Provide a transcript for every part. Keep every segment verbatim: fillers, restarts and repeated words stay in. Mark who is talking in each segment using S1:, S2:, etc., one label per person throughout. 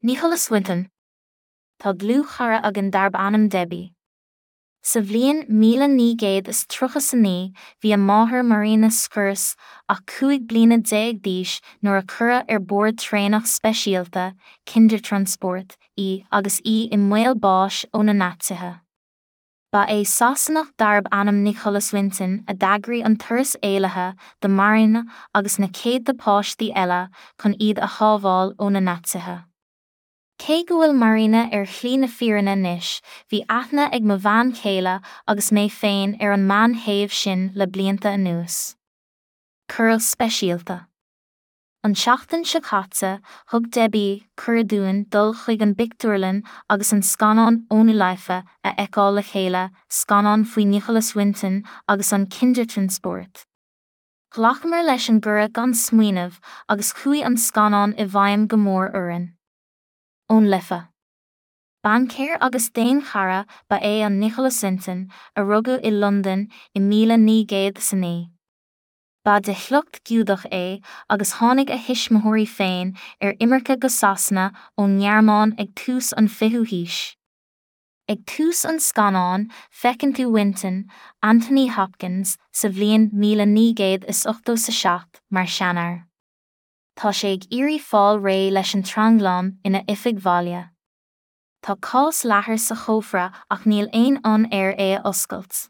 S1: Nicholas Winton. Tá dlúthchara againn darb ainm Debbie. Sa bhliain míle naoi gcéad is tríocha is a naoi, bhí a máthair Marina Schurz ach cúig bliana déag d'aois nuair a cuireadh ar bord traenach speisialta, Kindertransport, í agus í i mbaol báis ó na Naitsithe. Ba é Sasanach darb ainm Nicholas Winton a d'eagraigh an turas éalaithe do Marina agus na céadta páistí eile chun iad a shábháil ó na Naitsithe. Cé go bhfuil Marina ar shlí na fírinne anois, bhí aithne ag mo bhean chéile agus mé féin ar an mbean shéimh sin le blianta anuas. Cuireadh speisialta. An tseachtain seo caite, thug Debbie cuireadh dúinn dul chuig an bpictiúrlann agus an scannán Ohne Life a fheiceáil le chéile, scannán faoi Nicholas Winton agus an Kindertransport. Ghlacamar leis an gcuireadh gan smaoineamh agus chuaigh an scannán i bhfeidhm go mór orainn. Ón Life. Baincéir agus daonchara ba ea an Nicholas Winton, a rugadh i Londain i míle naoi gcéad is a naoi. Ba de shliocht Giúdach é agus tháinig a thuismitheoirí féin ar imirce go Sasana ón nGearmáin ag tús an fichiú haois. Ag tús an scannáin, feiceann tú Winton, Anthony Hopkins, sa bhliain míle naoi gcéad is ochtó is a seacht mar sheanfhear. Tá sé ag iarraidh fáil réidh leis an tranglam ina oifig bhaile. Tá cás leathair sa chófra ach níl aon fhonn air é a oscailt.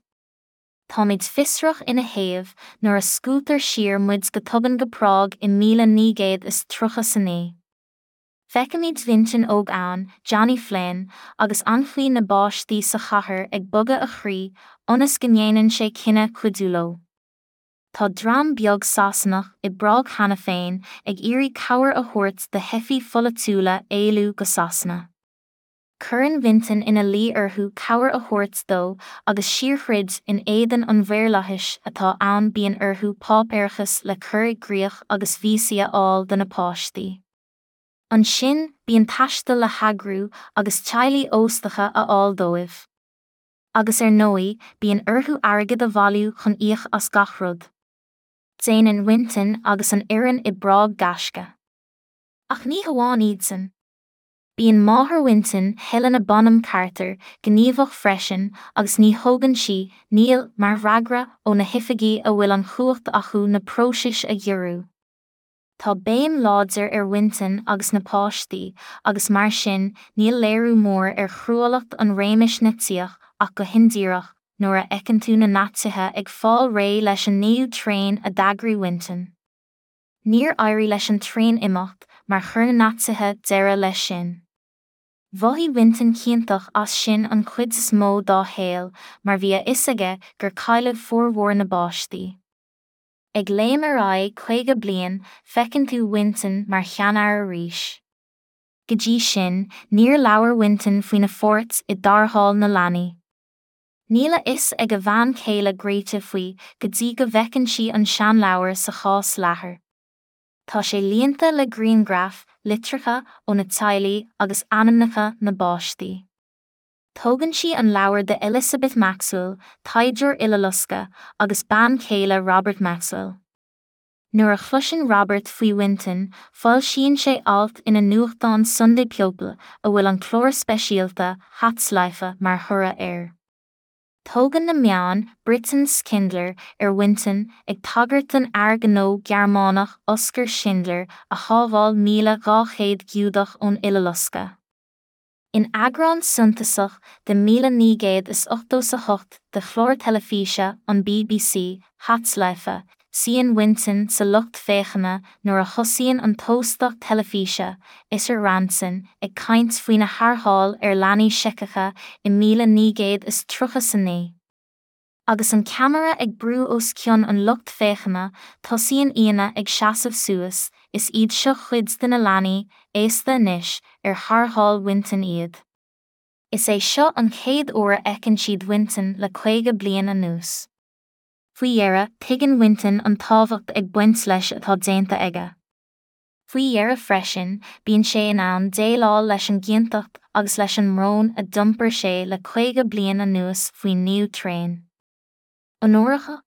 S1: Táimid fiosrach ina thaobh nuair a scuabtar siar muid go tobann go Prág i míle naoi gcéad is tríocha is a naoi. Feicimid Winton óg ann, Johnny Flynn, agus anchaoi na bpáistí sa chathair ag bogadh a chroí ionas go ndéanann sé cinneadh cuidiú leo. Tá dream beag Sasanach i bPrág cheana féin ag iarraidh cabhair a thabhairt do theifigh pholaitiúla éalú go Sasana. Cuireann Winton ina luí orthu cabhair a thabhairt dó agus síorthroid in éadan an mhaorlathais atá ann bíonn orthu páipéarachas le cur i gcrích agus víosaí a fháil do na páistí. Ansin bíonn taisteal le heagrú agus teaghlaigh óstacha a fháil dóibh. Agus ar ndóigh, bíonn orthu airgead a bhailiú chun íoc as gach rud. Déanann Winton agus an fhoireann i bPrág gaisce. Ach ní hamháin iadsan. Bíonn máthair Winton, Helena Bonham Carter, gníomhach freisin agus ní thógann sí 'Níl' mar fhreagra ó na hoifigí a bhfuil an chumhacht acu na próisis a ghiorrú. Tá béim láidir ar Winton agus na páistí agus mar sin níl léiriú mór ar chruálacht an réimis Naitsíoch ach go hindíreach nuair a fheiceann tú na Naitsithe ag fáil réidh leis an naoú traein a d'eagraigh Winton. Níor éirigh leis an traein imeacht mar chuir na Naitsithe deireadh leis sin. Mhothaigh Winton ciontach as sin an chuid is mó dá shaol mar bhí a fhios aige gur cailleadh formhór na bpáistí. Ag léim ar aghaidh caoga bliain, feiceann tú Winton mar sheanfhear arís. Go dtí sin, níor labhair Winton faoina pháirt i dtarrtháil na leanaí. Níl a fhios ag a bhean chéile Grete faoi go dtí go bhfeiceann sí an seanleabhar sa chás leathair. Tá sé líonta le grianghraif, litreacha ó na teaghlaigh agus ainmneacha na bpáistí. Tógann sí an leabhar de Elizabeth Maxwell, taighdeoir Uileloscadh agus bean chéile Robert Maxwell. Nuair a chloiseann Robert faoi Winton, foilsíonn sé alt ina nuachtán Sunday People a bhfuil an clár speisialta Hatzleife mar thoradh air. Tógann na meáin Britain's Schindler ar Winton ag tagairt don fhear gnó Gearmánach Oskar Schindler a shábháil míle dhá chéad Giúdach ón Uileloscadh. In eagrán suntasach de míle naoi gcéad is ochtó is a hocht de chlár teilifíse an BBC, Hatzleife, suíonn Winton sa lucht féachana nuair a thosaíonn an t-óstach teilifíse, Isser Rantzen, ag caint faoina tharrtháil ar leanaí Seiceacha i míle naoi gcéad is tríocha is a naoi. Agus an ceamara ag brú os cionn an lucht féachana, tosaíonn aíonna ag seasamh suas, is iad seo cuid de na leanaí, aosta anois, ar tharrtháil Winton iad. Is é seo an chéad uair a fheiceann siad Winton le caoga bliain anuas. Faoi dheireadh, tuigeann Winton an tábhacht ag baint leis atá déanta aige. Faoi dheireadh freisin, bíonn sé in ann déileáil leis an gciontacht agus leis an mbrón a d'iompair sé le caoga bliain anuas faoin naoú traein. Onóracha?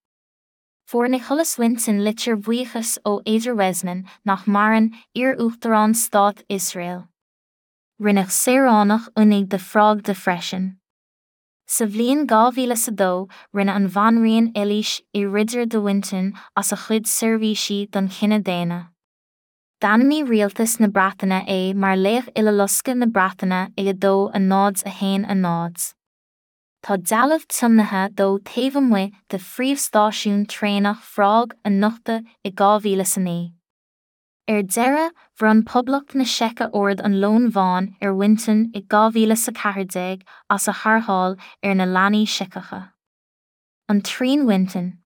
S1: Fuair Nicholas Winton litir bhuíochais ó Ezer Weizman nach maireann, iar-uachtarán Stát Iosrael. Rinneadh saoránach oinigh de Phrág di freisin. Sa bhliain dhá mhíle is a dó, rinne an Bhanríon Eilís I Ridire de Winton as a chuid seirbhísí don chine daonna. D'ainmnigh Rialtas na Breataine é mar Laoch Uileloscadh na Breataine i a dó a náid a haon a náid. Tá dealbh tiomnaithe dó taobh amuigh de phríomhstáisiún traenach Phrág a nochtadh i dhá mhíle is a naoi. Ar deireadh, bhronn Poblacht na Seice Ord an Leoin Bháin ar Winton i dhá mhíle is a ceathair déag as a tharrtháil ar na leanaí Seiceacha. An Traein Winton.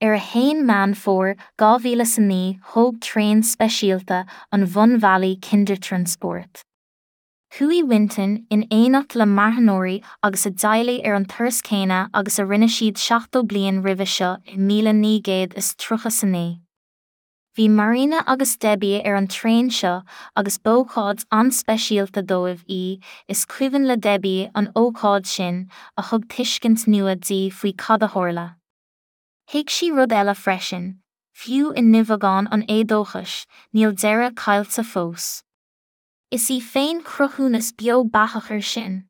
S1: Ar a haon Meán Fómhair dhá mhíle is a naoi thóg traein speisialta an bhunbhealaigh Kindertransport. Chuaigh Winton in éineacht le marthanóirí agus a dteaghlaigh ar an turas céanna agus a rinne siad seachtó bliain roimhe seo i míle naoi gcéad is tríocha is a naoi. Bhí Marina agus Debbie ar an traein seo agus b'ócáid an-speisialta dóibh í, is cuimhin le Debbie an ócáid sin a thug tuiscint nua di faoi cad a tharla. Thuig sí rud eile freisin, fiú i nduibheagán an éadóchais, níl deireadh caillte fós. Is í féin cruthúnas beo beathach air sin.